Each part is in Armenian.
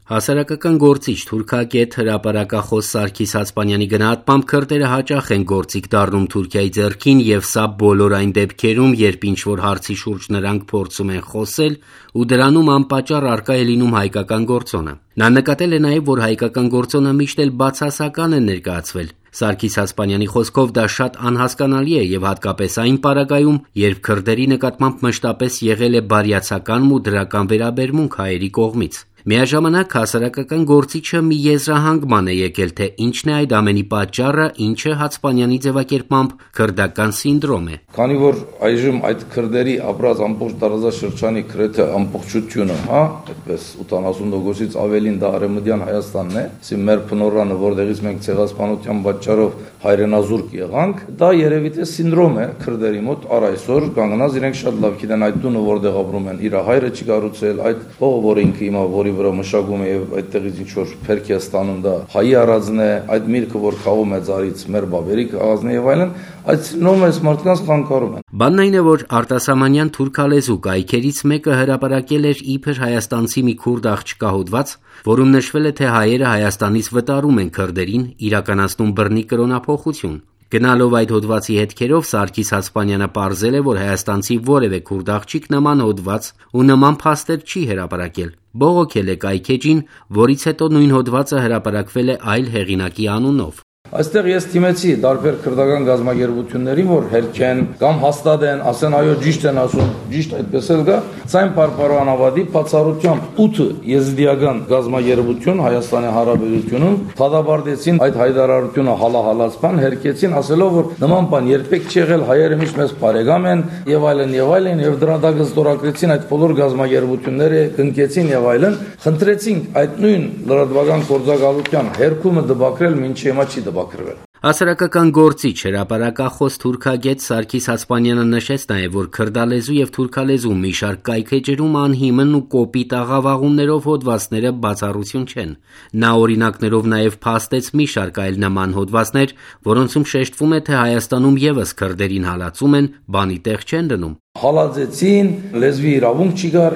Հասարակական գործիչ, թուրքագետ, հրապարակախոս Սարգիս Հասպանյանի գնահատմամբ քրդերը հաճախ են գործիք դառնում Թուրքիայի ձեռքին եւ սա բոլոր այն դեպքերում, երբ ինչ-որ հարցի շուրջ նրանք փորձում են խոսել ու դրանում անպատճառ առկա է լինում հայկական գործոնը։ Նա նկատել է նաեւ, որ հայկական գործոնը միշտ էլ բացասական է ներկայացվել։ Սարգիս Հասպանյանի խոսքով դա շատ անհասկանալի է եւ հատկապես այն պարագայում, երբ քրդերի նկատմամբ մշտապես եղել է բարյացակամ ու դրական վերաբերմունք հայերի կողմից։ Միաժամանակ հասարակական գործիչը մի եզրահանգման է եկել, թե ինչն է այդ ամենի պատճառը, ինչը Հացպանյանի ձևակերպմամբ քրդական սինդրոմ է։ Քանի որ այժմ այդ քրդերի ապրած ամբողջ տարածաշրջանի գրեթե ամբողջությունը, այդպես 80%-ից ավելին դա արևմտյան Հայաստանն է, ասի մեր փնորանը, որտեղից մենք ցեղասպանության պատճառով հայրենազուրկ եղանք, դա երևի թե սինդրոմ է քրդերի մոտ առ այսօր, կանգնած իրենք շատ լավ գիտեն այդ տունը որտեղ ապրում են, իր հայրը չի կառուցել, այդ հողը, որ ինքը հիմա որի վրա մշակում է եւ այդտեղից ինչ որ փերք է ստանում, դա հայի առածն է, այդ միրգը, որ խաղում է ծառից, մեր բաբերի քաղաքն է եւ այլն, այդ սինոմես մարդկանց խանգարում են։ Բանն այն է, որ արտասահմանյան թուրքալեզու կայքերից մեկը հրապարակել էր իբր հայաստանցի մի քուրդ աղջկա հոդված, որում նշվել է, թե հայերը Հայաստանից վտարում են քրդերին, իրականացնում բռնի կրոնափոխություն։ Գնալով այդ հոդվածի հետքերով Սարգիս Հասպանյանը պարզել է, որ հայաստանցի որևէ քուրդ աղջիկ նման հոդված ու նման փաստեր չի հրապարակել։ Բողոքել է կայքեջին, որից հետո նույն հոդվածը հրապարակվել է այլ հեղինակի անունով։ Այստեղ ես թիմեցի տարբեր քրդական գազագերբություններին, որ հերքեն կամ հաստատեն, ասեն այո ճիշտ են ասում, ճիշտ այդպես էլ գա, ցայն պարպարանավադի բացառությամբ 8 եզդիական գազագերբություն Հայաստանի Հանրապետությունում թադաբարդեցին այդ հայտարարությունը հալահալացման, հերքեցին, ասելով, որ նման բան երբեք չի եղել, հայերը միշտ մեզ բարեկամ են եւ այլն, եւ դրա դակը ստորագրեցին այդ բոլոր գազագերբությունները, կնքեցին եւ այլն, խնդրեցինք այդ նույն լրատվական գործակալության հերքումը դպակրել, մինչեւ հիմա չի դպակրվել։ Հասարակական գործիչ, հրապարակախոս թուրքագետ Սարգիս Հասպանյանը նշեց նաև, որ քրդալեզու եւ թուրքալեզու մի շարք կայքեջերում անհիմն ու կոպիտ աղավաղումներով հոդվածները բացառություն չեն։ Նա օրինակներով նաև փաստեց մի շարք այլ նման հոդվածներ, որոնցում շեշտվում է, թե Հայաստանում եւս քրդերին հալածում են, բանի տեղ չեն դնում։ Հալածեցին, լեզվի իրավունք չկար,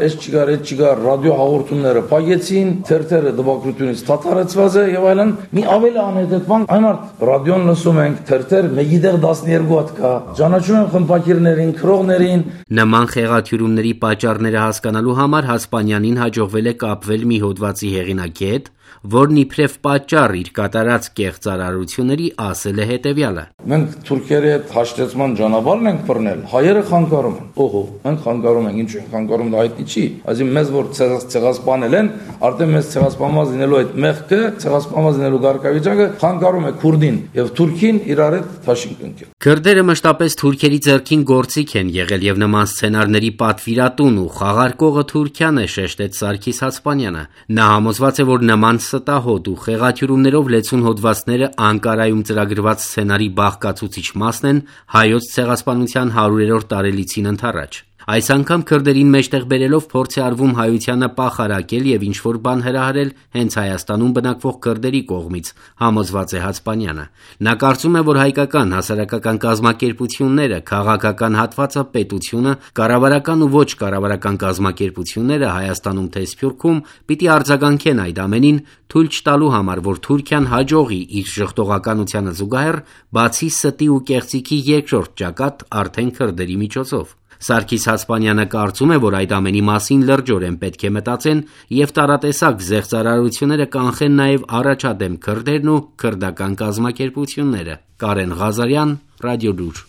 չկար, ռադիո հաղորդումները փակեցին, թերթերը դպակրությունից թաթարեցված է եւ այլն։ Մի ավելի անհետեւան այն մարդ ռադիոն լսում ենք, թերթեր 1-ից 12 հատ կա, ճանաչում են խմբակիրներին, քրողներին։ Նման խեղաթյուրումների պատճառները հասկանալու համար Հասպանյանին հաջողվել է կապվել մի հոդվածի հեղինակի հետ, որն իբրև պատճառ իր կատարած կեղծարարությունների ասել է հետևյալը. Մենք թուրքերի հետ հաշտեցման ճանապարհն ենք բռնել, հայերը խանգարում են։ Օհո, մենք խանգարում ենք, ինչ ենք խանգարում, դա հայտնի չի։ Այսինքն մեզ որ ցեղասպանել են, արդեն մեզ ցեղասպանված լինելու այդ մեղքը, ցեղասպանված լինելու գարկավիճակը խանգարում է քուրդին եւ թուրքին իրար հետ թաշինք ընկել։ Քրդերը մշտապես թուրքերի ձեռքին գործիք են եղել եւ նման սցենարների պատվիրատուն ու խաղարկողը Թուրքիան է, շեշտեց Սարգիս Հասպանյանը։ Նա համոզված է, որ նման ստահոդ ու խեղաթյուրումներով լեցուն հոդվածները Անկարայում ծրագրված սցենարի բաղկացուցիչ մասն են հայոց ցեղասպանության 100-րդ տարելիցին ընդառաջ։ Այս անգամ քրդերին մեջտեղ բերելով փորձ է արվում հայությանը պախարակել եւ ինչ-որ բան հրահրել հենց Հայաստանում բնակվող քրդերի կողմից, համոզված է Հասպանյանը։ Նա կարծում է, որ հայկական հասարակական կազմակերպությունները, քաղաքական հատվածը, պետությունը, կառավարական ու ոչ կառավարական կազմակերպությունները Հայաստանում թե Սփյուռքում պիտի արձագանքեն այդ ամենին, թույլ չտալու համար, որ Թուրքիան հաջողի իր ժխտողականությանը զուգահեռ բացի ստի ու կեղծիքի երկրորդ ճակատ արդեն քրդերի միջոցով։ Սարգիս Հասպանյանը կարծում է, որ այդ ամենի մասին լրջորեն պետք է մտածեն եւ տարատեսակ զեղծարարությունները կանխեն նաեւ առաջադեմ քրդերն ու քրդական կազմակերպությունները։ Կարեն Ղազարյան, Ռադիոլուր։